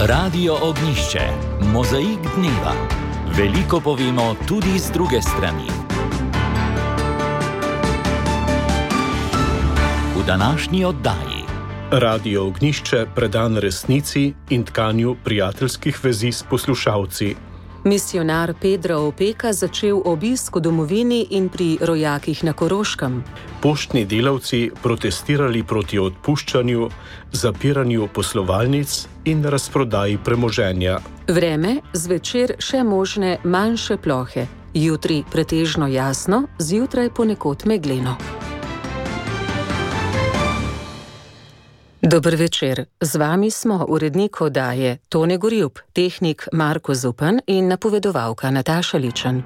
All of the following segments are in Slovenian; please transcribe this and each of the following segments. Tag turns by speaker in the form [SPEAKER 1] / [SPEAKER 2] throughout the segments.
[SPEAKER 1] Radio Ognišče, mozaik dneva. Veliko povemo tudi z druge strani. V današnji oddaji
[SPEAKER 2] Radio Ognišče predan resnici in tkanju prijateljskih vezi s poslušalci.
[SPEAKER 3] Misionar Pedro Opeka začel obisk v domovini in pri rojakih na Koroškem.
[SPEAKER 2] Poštni delavci protestirali proti odpuščanju, zapiranju poslovalnic in razprodaji premoženja.
[SPEAKER 3] Vreme, zvečer še možne manjše plohe. Jutri pretežno jasno, zjutraj ponekod megleno. Dober večer, z vami smo urednik oddaje Tone Gorjup, tehnik Marko Zupan in napovedovalka Nataša Ličen.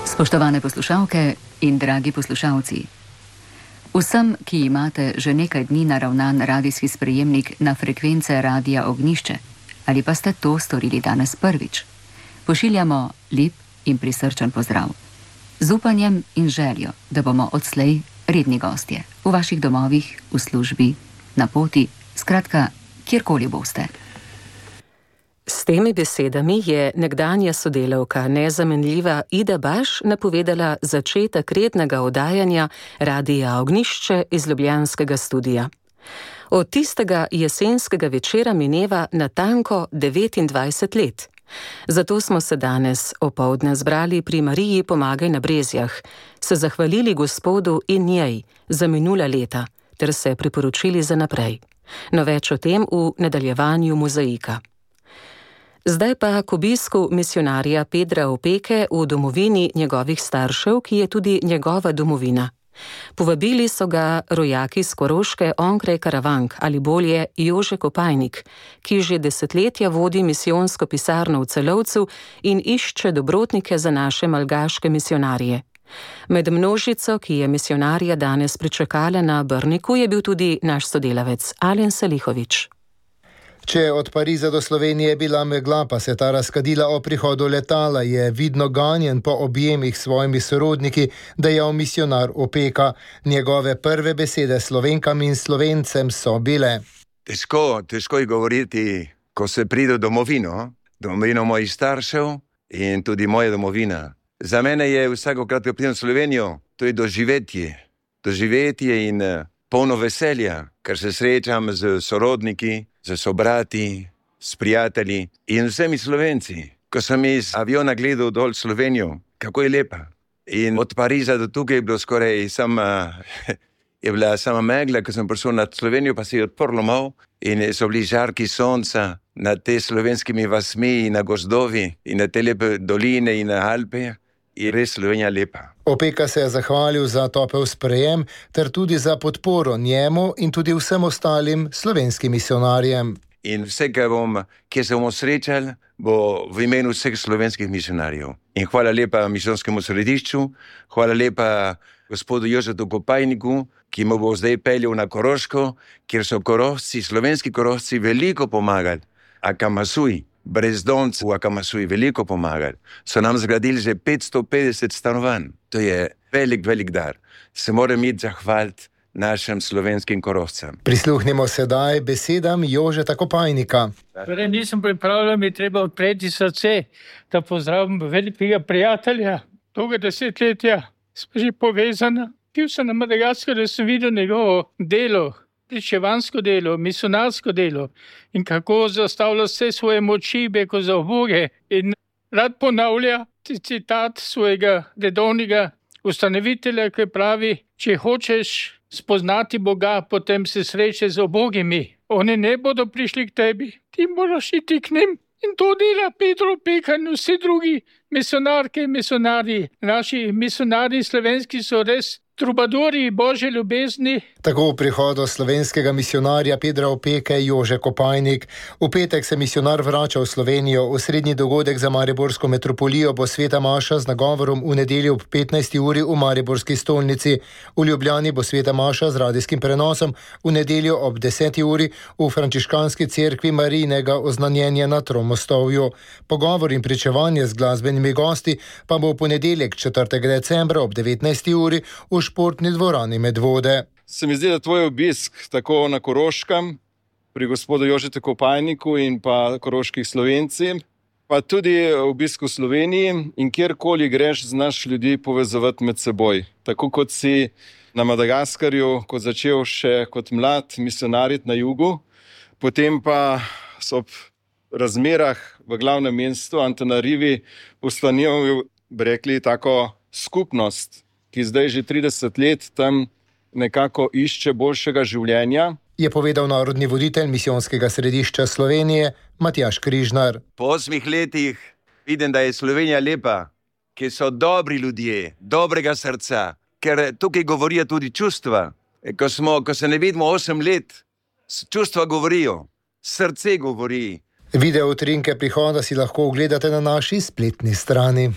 [SPEAKER 4] Spoštovane poslušalke in dragi poslušalci. Vsem, ki imate že nekaj dni naravnan radijski sprejemnik na frekvence Radia Ognišče, ali pa ste to storili danes prvič, pošiljamo lep in prisrčen pozdrav. Z upanjem in željo, da bomo odslej redni gostje, v vaših domovih, v službi, na poti, skratka, kjerkoli boste.
[SPEAKER 3] S temi besedami je nekdanja sodelavka, nezamenljiva Ida Baš, napovedala začetek rednega oddajanja Radia Ognišče iz ljubljanskega studia. Od tistega jesenskega večera mineva natanko 29 let. Zato smo se danes opoldne zbrali pri Mariji Pomagaj na Brezjah, se zahvalili Gospodu in njej za minula leta ter se priporočili za naprej. No več o tem v nadaljevanju mozaika. Zdaj pa k obisku misionarja Pedra Opeke v domovini njegovih staršev, ki je tudi njegova domovina. Povabili so ga rojaki s Koroške onkraj Karavank, ali bolje Jože Kopajnik, ki že desetletja vodi misijonsko pisarno v Celovcu in išče dobrotnike za naše malgaške misionarje. Med množico, ki je misionarja danes pričakala na Brniku, je bil tudi naš sodelavec Alen Salihovič.
[SPEAKER 5] Če je od Pariza do Slovenije bila megla, pa se ta razkadila o prihodu letala, je vidno ganjen po objemih s svojimi sorodniki, dejal misionar Opeka. Njegove prve besede Slovenkam in Slovencem so bile:
[SPEAKER 6] Težko je govoriti, ko se pride v domovino mojih staršev in tudi moja domovina. Za mene je vsakokrat, ko pridem v Slovenijo, to je doživetje in polno veselja, ker se srečam z sorodniki, z sobrati, s prijatelji in vsemi Slovenci. Ko sem iz aviona gledal dol Slovenijo, kako je lepa. In od Pariza do tukaj je bilo skoraj je bila sama megla, ko sem prišel nad Slovenijo, pa se je odprlo malo in so bili žarki sonca nad te slovenskimi vasmi in na gozdovi in na te lepe doline in na Alpe. Je res Slovenija lepa.
[SPEAKER 5] Opeka se je zahvalil za topel sprejem ter tudi za podporo njemu in tudi vsem ostalim slovenskim misionarjem.
[SPEAKER 6] In vse, kjer se bomo srečali, bo v imenu vseh slovenskih misionarjev. In hvala lepa misijonskemu središču, hvala lepa gospodu Jožetu Kopajniku, ki mu bo zdaj peljal na Koroško, kjer so Korošci, slovenski Korošci veliko pomagali. Akamasuj, brezdomci v Akamasuji veliko pomagali. So nam zgradili že 550 stanovanj. To je velik dar. Se moram iti zahvaliti našim slovenskim Korošcem.
[SPEAKER 5] Prisluhnimo sedaj besedam Jožeta Kopajnika.
[SPEAKER 7] Torej, nisem pripravljen, mi treba odpreti srce, da pozdravim velikega prijatelja, dolga desetletja, smo že povezana. Bil sem na Madagaskaru, da sem videl njegovo delo, pričevansko delo, misionarsko delo in kako zastavlja vse svoje moči beko za Boge. In rad ponavlja citat svojega redovnega ustanovitelja, ki pravi: če hočeš spoznati Boga, potem se sreče z ubogimi. Oni ne bodo prišli k tebi, ti moraš iti k njim. In to dela Pedro Opeka in vsi drugi misionarke in misionarji. Naši misionarji slovenski so res trubadori Božje ljubezni.
[SPEAKER 5] Tako v prihodu slovenskega misionarja Pedra Opeke Jože Kopajnik. V petek se misionar vrača v Slovenijo. Osrednji dogodek za mariborsko metropolijo bo sveta maša z nagovorom v nedeljo ob 15. uri v mariborski stolnici. V Ljubljani bo sveta maša z radijskim prenosom v nedeljo ob 10. uri v frančiškanski cerkvi Marijinega oznanjenja na Tromostovju. Pogovor in pričevanje z glasbenimi gosti pa bo v ponedeljek 4. decembra ob 19. uri v športni dvorani Medvode.
[SPEAKER 8] Se mi zdi, da tvoj obisk tako na Koroškem pri gospodu Jožetu Kopajniku in pa Koroških Slovencih, pa tudi obisk v Sloveniji in kjerkoli greš, znaš ljudi povezovati med seboj. Tako kot si na Madagaskarju, ko začel še kot mlad misionarit na jugu, potem pa so ob razmerah v glavnem mestu Antananarivi ustanovil, bi rekli, tako skupnost, ki zdaj že 30 let tam nekako išče boljšega življenja.
[SPEAKER 5] Je povedal narodni voditelj misijonskega središča Slovenije Matjaž Križnar.
[SPEAKER 6] Po 8 letih vidim, da je Slovenija lepa, ki so dobri ljudje, dobrega srca, ker tukaj govorijo tudi čustva. Ko se ne vidimo 8 let, čustva govorijo, srce govori.
[SPEAKER 5] Video utrinke prihoda si lahko ogledate na naši spletni strani.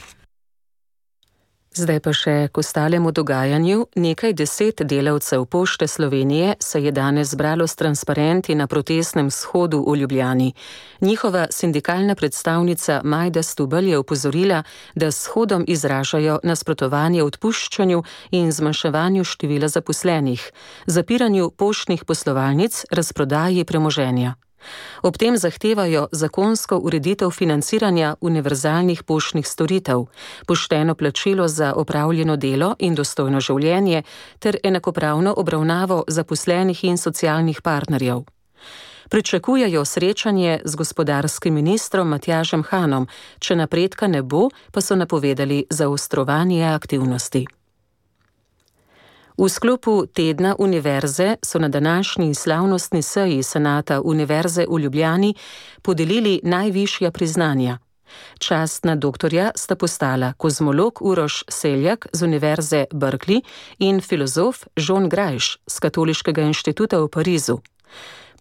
[SPEAKER 3] Zdaj pa še k ostalemu dogajanju. Nekaj 10 delavcev Pošte Slovenije se je danes zbralo s transparenti na protestnem shodu v Ljubljani. Njihova sindikalna predstavnica Majda Stubelj je opozorila, da s shodom izražajo nasprotovanje odpuščanju in zmanjševanju števila zaposlenih, zapiranju poštnih poslovalnic, razprodaji premoženja. Ob tem zahtevajo zakonsko ureditev financiranja univerzalnih poštnih storitev, pošteno plačilo za opravljeno delo in dostojno življenje ter enakopravno obravnavo zaposlenih in socialnih partnerjev. Pričakujejo srečanje z gospodarskim ministrom Matjažem Hanom, če napredka ne bo, pa so napovedali zaostrovanje aktivnosti. V sklopu tedna univerze so na današnji slavnostni seji Senata Univerze v Ljubljani podelili najvišja priznanja. Častna doktorja sta postala kozmolog Uroš Seljak z Univerze Berkeley in filozof John Grajš z Katoliškega inštituta v Parizu.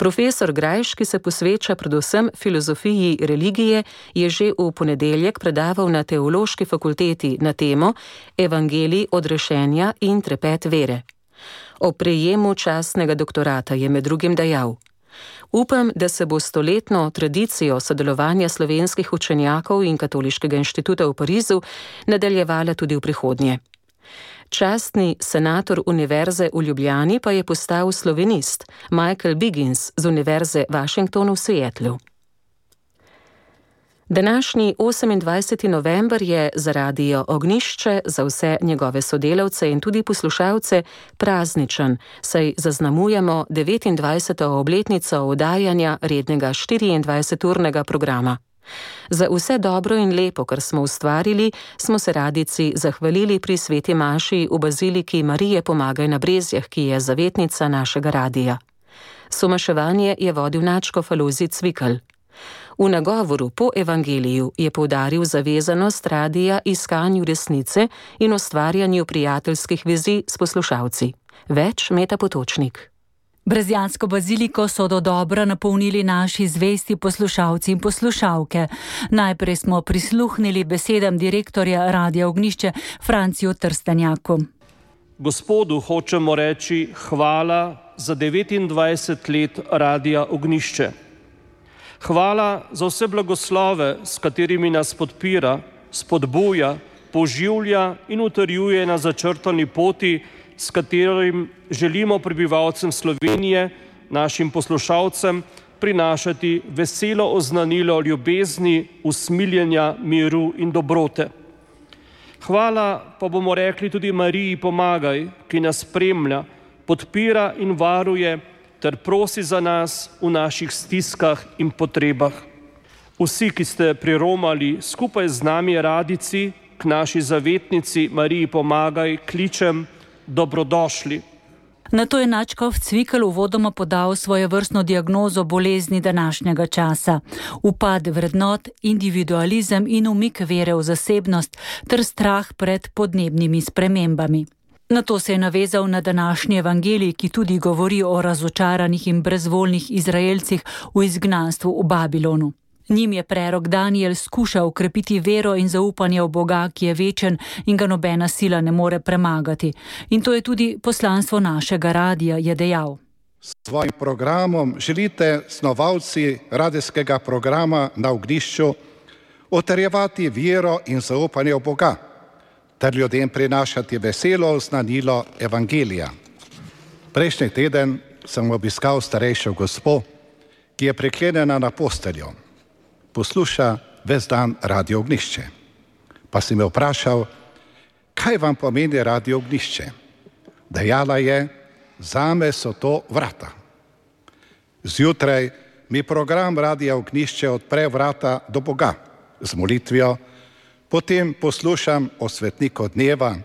[SPEAKER 3] Profesor Grajš, ki se posveča predvsem filozofiji religije, je že v ponedeljek predaval na Teološki fakulteti na temo Evangelij odrešenja in trepet vere. O prejemu častnega doktorata je med drugim dejal: Upam, da se bo stoletno tradicijo sodelovanja slovenskih učenjakov in Katoliškega inštituta v Parizu nadaljevala tudi v prihodnje. Častni senator Univerze v Ljubljani pa je postal slovenist Michael Biggins z Univerze Washington v Seattlu. Današnji 28. november je za Radio Ognjišče, za vse njegove sodelavce in tudi poslušalce prazničen, saj zaznamujemo 29. obletnico oddajanja rednega 24-urnega programa. Za vse dobro in lepo, kar smo ustvarili, smo se radici zahvalili pri sveti maši v baziliki Marije Pomagaj na Brezjah, ki je zavetnica našega radija. Somaševanje je vodil nadškof Alojzij Cvikl. V nagovoru po evangeliju je poudaril zavezanost radija iskanju resnice in ustvarjanju prijateljskih vezi s poslušalci. Več Meta Potočnik.
[SPEAKER 9] Brezjansko baziliko so dodobra napolnili naši zvesti poslušalci in poslušalke. Najprej smo prisluhnili besedam direktorja Radia Ognjišče Franciju Trstenjaku.
[SPEAKER 10] Gospodu hočemo reči hvala za 29 let Radia Ognjišče. Hvala za vse blagoslove, s katerimi nas podpira, spodbuja, poživlja in utrjuje na začrtani poti, s katerim želimo prebivalcem Slovenije, našim poslušalcem, prinašati veselo oznanilo ljubezni, usmiljenja, miru in dobrote. Hvala pa bomo rekli tudi Mariji Pomagaj, ki nas spremlja, podpira in varuje ter prosi za nas v naših stiskah in potrebah. Vsi, ki ste priromali skupaj z nami radici k naši zavetnici Mariji Pomagaj, kličem dobrodošli.
[SPEAKER 9] Nato je nadškof Cvikl uvodoma podal svojevrstno diagnozo bolezni današnjega časa. Upad vrednot, individualizem in umik vere v zasebnost ter strah pred podnebnimi spremembami. Nato se je navezal na današnji evangelij, ki tudi govori o razočaranih in brezvoljnih Izraelcih v izgnanstvu v Babilonu. Njim je prerok Danijel skušal ukrepiti vero in zaupanje v Boga, ki je večen in ga nobena sila ne more premagati. In to je tudi poslanstvo našega radija, je dejal.
[SPEAKER 11] S svojim programom želite snovalci radijskega programa na Ognjišču utrjevati vero in zaupanje v Boga, ter ljudem prinašati veselo oznanilo evangelija. Prejšnji teden sem obiskal starejšo gospo, ki je priklenjena na posteljo, posluša ves dan Radio Ognjišče. Pa si me vprašal, kaj vam pomeni Radio Ognjišče? Dejala je, zame so to vrata. Zjutraj mi program Radia Ognjišče odpre vrata do Boga z molitvijo, potem poslušam o svetniku dneva,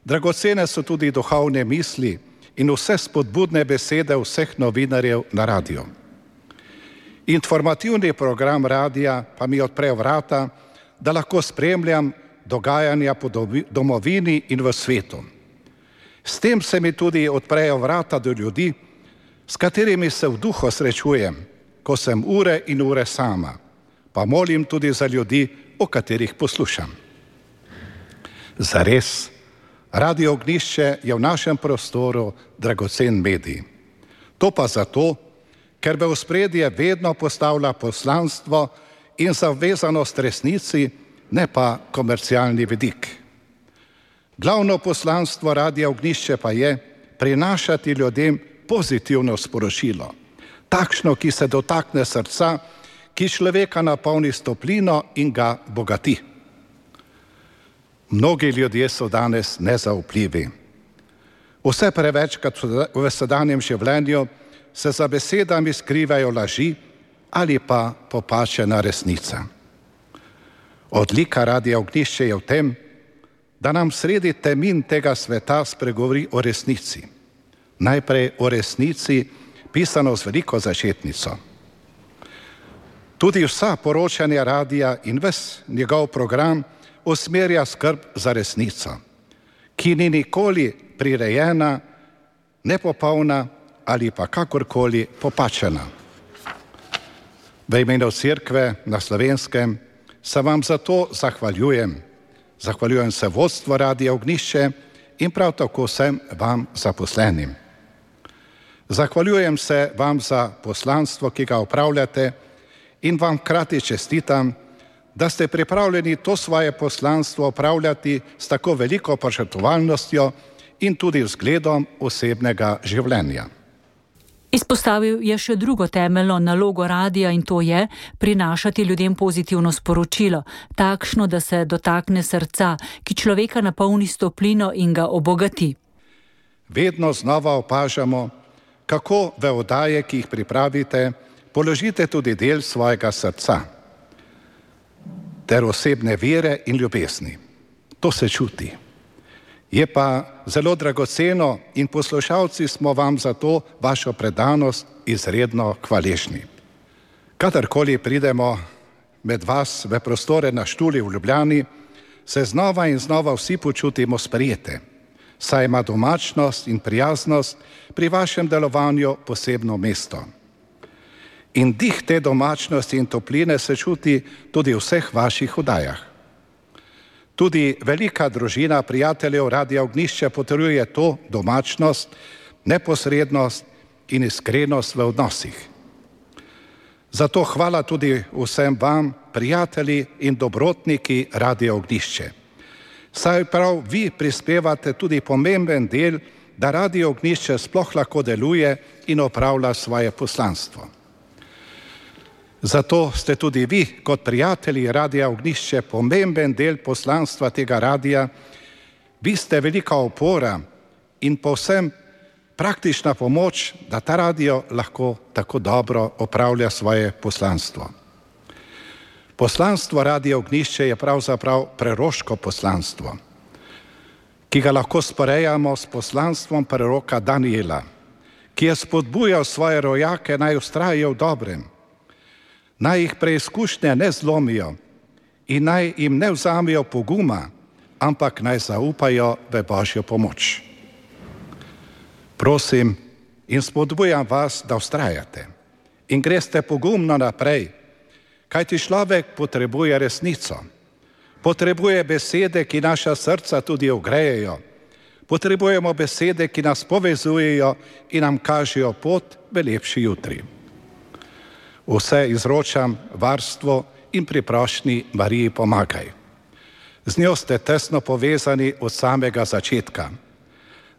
[SPEAKER 11] dragocene so tudi duhovne misli in vse spodbudne besede vseh novinarjev na radiju. Informativni program radija pa mi odpre vrata, da lahko spremljam dogajanja po domovini in v svetu. S tem se mi tudi odprejo vrata do ljudi, s katerimi se v duhu srečujem, ko sem ure in ure sama, pa molim tudi za ljudi, o katerih poslušam. Zares, Radio Ognjišče je v našem prostoru dragocen medij. To pa zato, ker v ospredje vedno postavlja poslanstvo in zavezanost resnici, ne pa komercialni vidik. Glavno poslanstvo Radia Ognjišče pa je prinašati ljudem pozitivno sporočilo, takšno, ki se dotakne srca, ki človeka napolni s toplino in ga bogati. Mnogi ljudje so danes nezaupljivi. Vse prevečkrat v sedanjem življenju se za besedami skrivajo laži ali pa popačena resnica. Odlika Radia Ognjišče je v tem, da nam sredi temin tega sveta spregovori o resnici. Najprej o resnici, pisano z veliko začetnico. Tudi vsa poročanja radija in ves njegov program usmerja skrb za resnico, ki ni nikoli prirejena, nepopolna ali pa kakorkoli popačena. V imenu Cerkve na Slovenskem se vam zato zahvaljujem. Zahvaljujem se vodstvu Radia Ognjišče in prav tako vsem vam zaposlenim. Zahvaljujem se vam za poslanstvo, ki ga opravljate, in vam hkrati čestitam, da ste pripravljeni to svoje poslanstvo opravljati s tako veliko požrtvovalnostjo in tudi vzgledom osebnega življenja.
[SPEAKER 9] Izpostavil je še drugo temeljno nalogo radija in to je prinašati ljudem pozitivno sporočilo, takšno, da se dotakne srca, ki človeka napolni s toplino in ga obogati.
[SPEAKER 11] Vedno znova opažamo, kako v oddaje, ki jih pripravite, položite tudi del svojega srca ter osebne vere in ljubezni. To se čuti. Je pa zelo dragoceno in poslušalci smo vam za to vašo predanost izredno hvaležni. Kadarkoli pridemo med vas v prostore na Štuli v Ljubljani, se znova in znova vsi počutimo sprejete, saj ima domačnost in prijaznost pri vašem delovanju posebno mesto. In dih te domačnosti in topline se čuti tudi v vseh vaših oddajah. Tudi velika družina prijateljev Radia Ognjišče potrjuje to domačnost, neposrednost in iskrenost v odnosih. Zato hvala tudi vsem vam, prijatelji in dobrotniki Radia Ognjišče. Saj prav vi prispevate tudi pomemben del, da Radio Ognjišče sploh lahko deluje in opravlja svoje poslanstvo. Zato ste tudi vi, kot prijatelji Radia Ognjišče, pomemben del poslanstva tega radija. Vi ste velika opora in povsem praktična pomoč, da ta radio lahko tako dobro opravlja svoje poslanstvo. Poslanstvo Radia Ognjišče je pravzaprav preroško poslanstvo, ki ga lahko sporejamo s poslanstvom preroka Daniela, ki je spodbujal svoje rojake, naj vztrajajo v dobrem, naj jih preizkušnje ne zlomijo in naj jim ne vzamejo poguma, ampak naj zaupajo v Božjo pomoč. Prosim in spodbujam vas, da vztrajate in greste pogumno naprej, kajti človek potrebuje resnico, potrebuje besede, ki naša srca tudi ogrejejo, potrebujemo besede, ki nas povezujejo in nam kažejo pot v lepši jutri. Vse izročam varstvo in pri prošnji Mariji pomagaj. Z njo ste tesno povezani od samega začetka.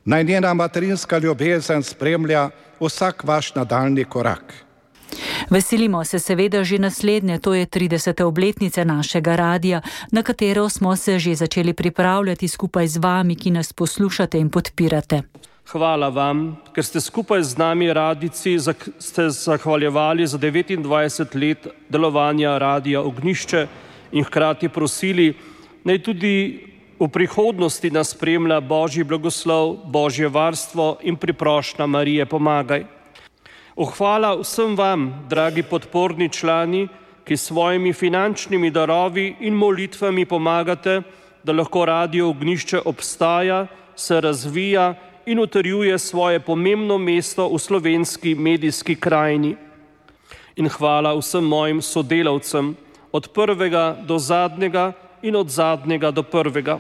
[SPEAKER 11] Naj njena materinska ljubezen spremlja vsak vaš nadaljnji korak.
[SPEAKER 9] Veselimo se seveda že naslednje, to je 30. obletnice našega radia, na katero smo se že začeli pripravljati skupaj z vami, ki nas poslušate in podpirate.
[SPEAKER 10] Hvala vam, ker ste skupaj z nami radijci ste zahvaljevali za 29 let delovanja Radia Ognjišče in hkrati prosili, naj tudi v prihodnosti nas spremlja Božji blagoslov, Božje varstvo in priprošnja Marije pomagaj. Hvala vsem vam, dragi podporni člani, ki s svojimi finančnimi darovi in molitvami pomagate, da lahko Radio Ognjišče obstaja, se razvija in utrjuje svoje pomembno mesto v slovenski medijski krajini. In hvala vsem mojim sodelavcem, od prvega do zadnjega in od zadnjega do prvega.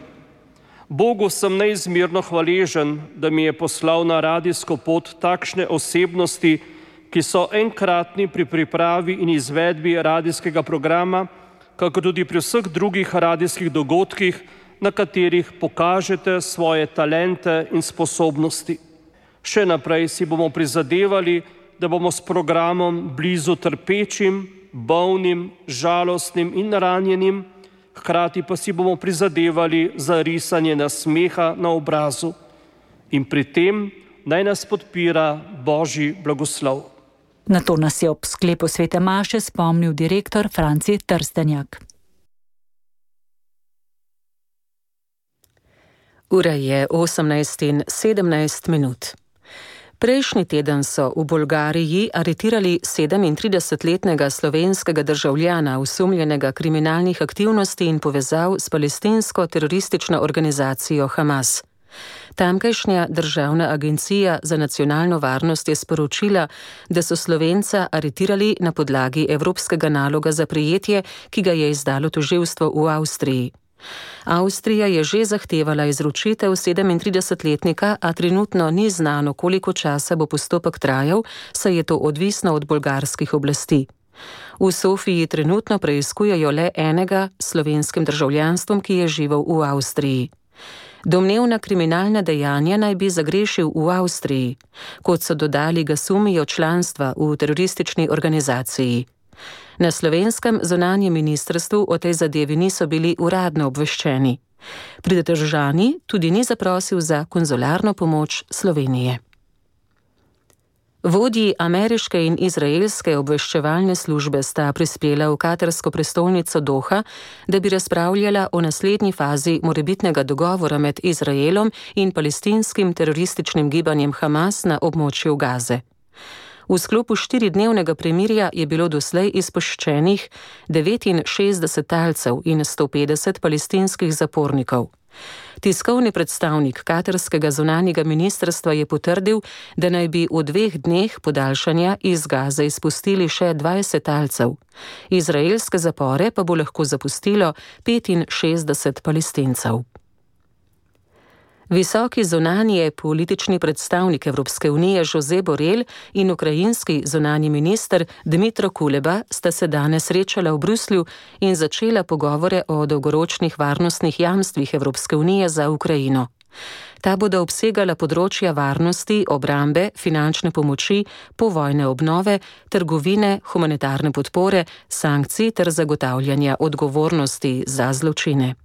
[SPEAKER 10] Bogu sem neizmerno hvaležen, da mi je poslal na radijsko pot takšne osebnosti, ki so enkratni pri pripravi in izvedbi radijskega programa, kako tudi pri vseh drugih radijskih dogodkih, na katerih pokažete svoje talente in sposobnosti. Še naprej si bomo prizadevali, da bomo s programom blizu trpečim, bolnim, žalostnim in ranjenim, hkrati pa si bomo prizadevali za risanje nasmeha na obrazu. In pri tem naj nas podpira Božji blagoslov.
[SPEAKER 9] Na to nas je ob sklepu svete maše spomnil direktor Franci Trstenjak.
[SPEAKER 3] Ura je 18:17. Prejšnji teden so v Bolgariji aretirali 37-letnega slovenskega državljana, osumljenega kriminalnih aktivnosti in povezav s palestinsko teroristično organizacijo Hamas. Tamkajšnja državna agencija za nacionalno varnost je sporočila, da so Slovenca aretirali na podlagi evropskega naloga za prijetje, ki ga je izdalo tožilstvo v Avstriji. Avstrija je že zahtevala izročitev 37-letnika, a trenutno ni znano, koliko časa bo postopek trajal, saj je to odvisno od bolgarskih oblasti. V Sofiji trenutno preiskujejo le enega s slovenskim državljanstvom, ki je živel v Avstriji. Domnevna kriminalna dejanja naj bi zagrešil v Avstriji. Kot so dodali, ga sumijo članstva v teroristični organizaciji. Na slovenskem zunanjem ministrstvu o tej zadevi niso bili uradno obveščeni. Pridržani tudi ni zaprosil za konzularno pomoč Slovenije. Vodji ameriške in izraelske obveščevalne službe sta prispela v katarsko prestolnico Doha, da bi razpravljala o naslednji fazi morebitnega dogovora med Izraelom in palestinskim terorističnim gibanjem Hamas na območju Gaze. V sklopu 4-dnevnega premirja je bilo doslej izpuščenih 69 talcev in 150 palestinskih zapornikov. Tiskovni predstavnik katarskega zunanjega ministrstva je potrdil, da naj bi v 2 dneh podaljšanja iz Gaze izpustili še 20 talcev. Izraelske zapore pa bo lahko zapustilo 65 Palestincev. Visoki zunanji politični predstavnik Evropske unije Josep Borrell in ukrajinski zunanji minister Dmytro Kuleba sta se danes srečala v Bruslju in začela pogovore o dolgoročnih varnostnih jamstvih Evropske unije za Ukrajino. Ta bodo obsegala področja varnosti, obrambe, finančne pomoči, povojne obnove, trgovine, humanitarne podpore, sankcij ter zagotavljanja odgovornosti za zločine.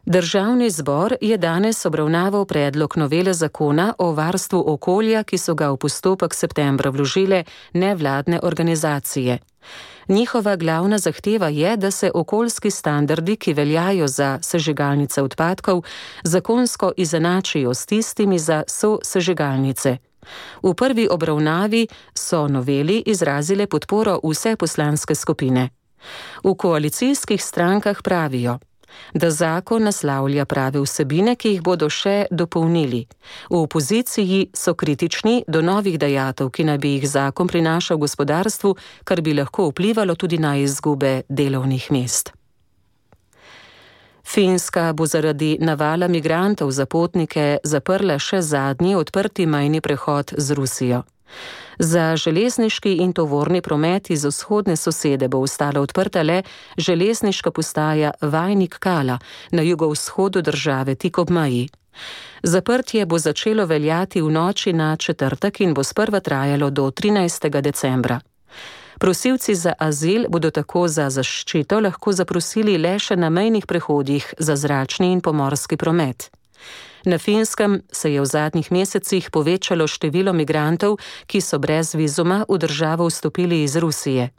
[SPEAKER 3] Državni zbor je danes obravnaval predlog novele zakona o varstvu okolja, ki so ga v postopek septembra vložile nevladne organizacije. Njihova glavna zahteva je, da se okoljski standardi, ki veljajo za sežigalnice odpadkov, zakonsko izenačijo s tistimi za sosežigalnice. V prvi obravnavi so noveli izrazile podporo vse poslanske skupine. V koalicijskih strankah pravijo, da zakon naslavlja prave vsebine, ki jih bodo še dopolnili. V opoziciji so kritični do novih dajatev, ki naj bi jih zakon prinašal gospodarstvu, kar bi lahko vplivalo tudi na izgube delovnih mest. Finska bo zaradi navala migrantov za potnike zaprla še zadnji odprti mejni prehod z Rusijo. Za železniški in tovorni promet iz vzhodne sosede bo ostala odprta le železniška postaja Vajnik Kala na jugovzhodu države tik ob meji. Zaprtje bo začelo veljati v noči na četrtek in bo sprva trajalo do 13. decembra. Prosilci za azil bodo tako za zaščito lahko zaprosili le še na mejnih prehodih za zračni in pomorski promet. Na Finskem se je v zadnjih mesecih povečalo število migrantov, ki so brez vizuma v državo vstopili iz Rusije.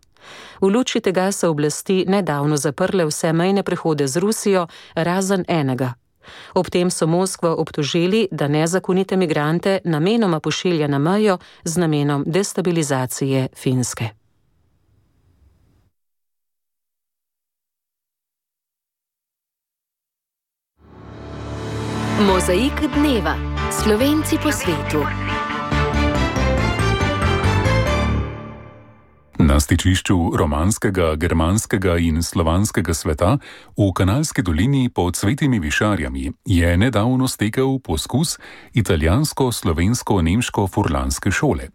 [SPEAKER 3] V luči tega so oblasti nedavno zaprle vse mejne prehode z Rusijo, razen enega. Ob tem so Moskvo obtožili, da nezakonite migrante namenoma pošilja na mejo z namenom destabilizacije Finske.
[SPEAKER 12] Mozaik dneva. Slovenci po svetu.
[SPEAKER 13] Na stičišču romanskega, germanskega in slovanskega sveta v Kanalski dolini pod Svetimi Višarjami je nedavno stekel poskus italijansko-slovensko-nemško-furlanske šole.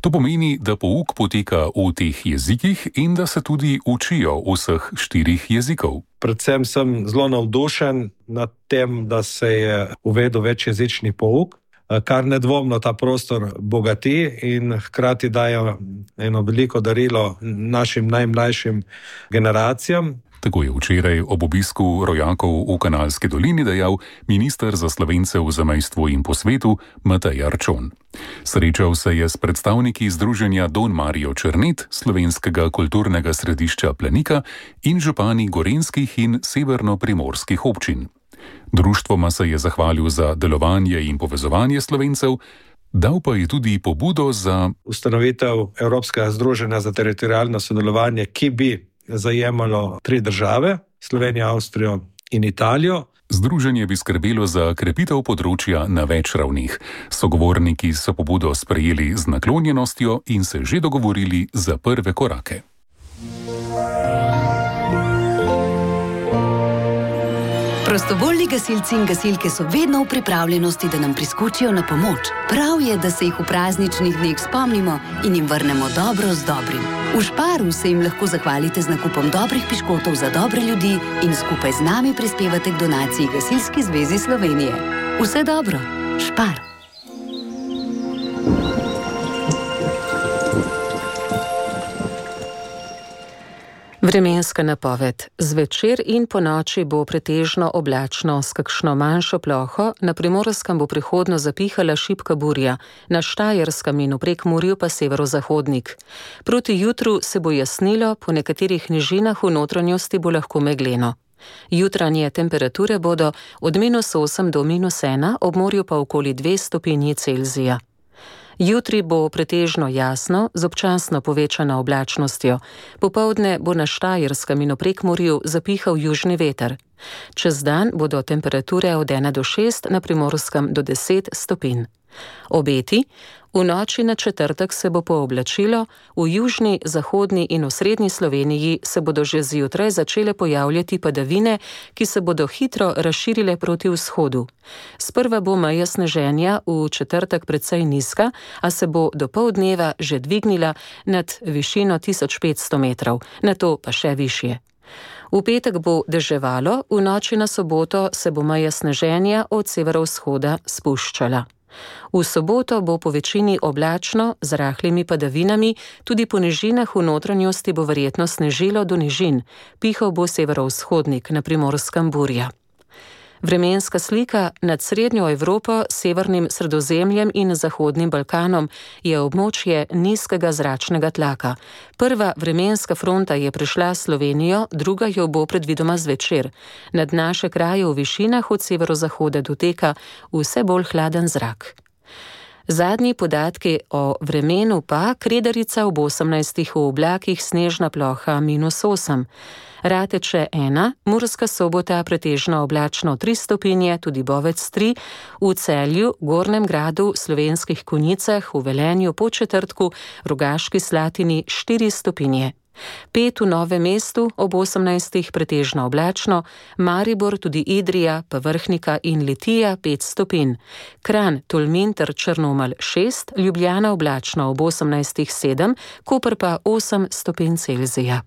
[SPEAKER 13] To pomeni, da pouk poteka v teh jezikih in da se tudi učijo vseh 4 jezikov.
[SPEAKER 14] Predvsem sem zelo navdušen nad tem, da se je uvedel večjezični pouk, kar nedvomno ta prostor bogati in hkrati daje eno veliko darilo našim najmlajšim generacijam.
[SPEAKER 13] Tako je včeraj ob obisku rojakov v Kanalski dolini dejal minister za Slovence v zamejstvu in po svetu Matej Arčon. Srečal se je s predstavniki združenja Don Mario Črnet, slovenskega kulturnega središča Planika in župani gorenjskih in severno-primorskih občin. Društvoma se je zahvalil za delovanje in povezovanje Slovencev, dal pa je tudi pobudo za
[SPEAKER 14] ustanovitev Evropskega združenja za teritorialno sodelovanje, ki bi zajemalo 3 države, Slovenijo, Avstrijo in Italijo.
[SPEAKER 13] Združenje bi skrbelo za krepitev področja na več ravnih. Sogovorniki so pobudo sprejeli z naklonjenostjo in se že dogovorili za prve korake.
[SPEAKER 12] Prostovoljni gasilci in gasilke so vedno v pripravljenosti, da nam priskočijo na pomoč. Prav je, da se jih v prazničnih dneh spomnimo in jim vrnemo dobro z dobrim. V Šparu se jim lahko zahvalite z nakupom dobrih piškotov za dobre ljudi in skupaj z nami prispevate k donaciji Gasilski zvezi Slovenije. Vse dobro, Špar!
[SPEAKER 3] Vremenska napoved. Zvečer in ponoči bo pretežno oblačno s kakšno manjšo ploho, na Primorskem bo prihodno zapihala šibka burja, na Štajerskem in v Prekmurju pa severozahodnik. Proti jutru se bo jasnilo, po nekaterih nižinah v notranjosti bo lahko megleno. Jutranje temperature bodo od -8 do -1, ob morju pa okoli 2 stopinji Celzija. Jutri bo pretežno jasno, z občasno povečano oblačnostjo. Popoldne bo na Štajerskem in v Prekmurju zapihal južni veter. Čez dan bodo temperature od 1 do 6, na Primorskem do 10 stopinj. Obeti. V noči na četrtek se bo pooblačilo, v južni, zahodni in osrednji Sloveniji se bodo že zjutraj začele pojavljati padavine, ki se bodo hitro razširile proti vzhodu. Sprva bo meja sneženja v četrtek precej nizka, a se bo do poldneva že dvignila nad višino 1500 metrov, nato pa še višje. V petek bo deževalo, v noči na soboto se bo meja sneženja od severovzhoda spuščala. V soboto bo po večini oblačno, z rahlimi padavinami, tudi po nižinah v notranjosti bo verjetno snežilo do nižin, pihal bo severovzhodnik, na Primorskem burja. Vremenska slika nad srednjo Evropo, severnim Sredozemljem in Zahodnim Balkanom je območje nizkega zračnega tlaka. Prva vremenska fronta je prišla Slovenijo, druga jo bo predvidoma zvečer. Nad naše kraje v višinah od severozahoda doteka vse bolj hladen zrak. Zadnji podatki o vremenu pa: Kredarica ob 18 v oblakih, snežna ploha -8. Rateče 1, Murska Sobota pretežno oblačno 3 stopinje, tudi Bovec 3, v Celju, Gornjem Gradu, Slovenskih Konjicah, v Velenju, Podčetrtku, Rogaški Slatini 4 stopinje. 5 v Novem mestu ob 18 pretežno oblačno, Maribor, tudi Idrija, pa Vrhnika in Litija 5 stopinj. Kranj, Tolmin ter Črnomelj 6, Ljubljana oblačno ob 18 7, Koper pa 8 stopinj Celzija.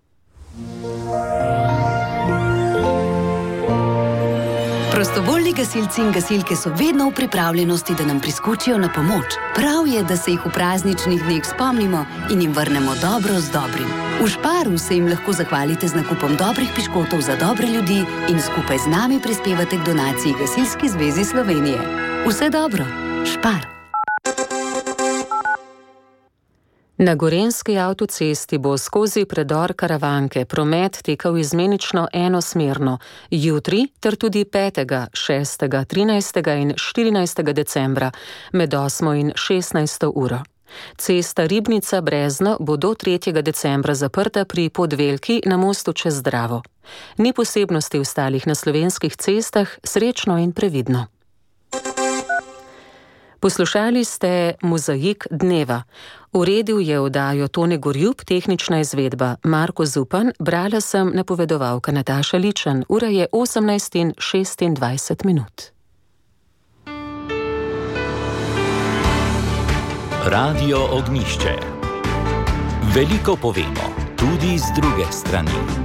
[SPEAKER 12] Prostovoljni gasilci in gasilke so vedno v pripravljenosti, da nam priskočijo na pomoč. Prav je, da se jih v prazničnih dneh spomnimo in jim vrnemo dobro z dobrim. V Šparu se jim lahko zahvalite z nakupom dobrih piškotov za dobre ljudi in skupaj z nami prispevate k donaciji Gasilski zvezi Slovenije. Vse dobro, Špar. Na Gorenjski avtocesti bo skozi predor Karavanke promet tekel izmenično enosmerno, jutri ter tudi 5., 6., 13. in 14. decembra med 8. in 16. uro. Cesta Ribnica-Brezno bo do 3. decembra zaprta pri Podvelki na mostu čez Dravo. Ni posebnosti ostalih na slovenskih cestah, srečno in previdno. Poslušali ste Mozaik dneva. Uredil je oddajo Tone Gorjub, tehnična izvedba Marko Zupan, brala sem napovedovalka Nataša Ličen. Ura je 18:26.
[SPEAKER 1] Radio Ognjišče. Veliko povemo, tudi z druge strani.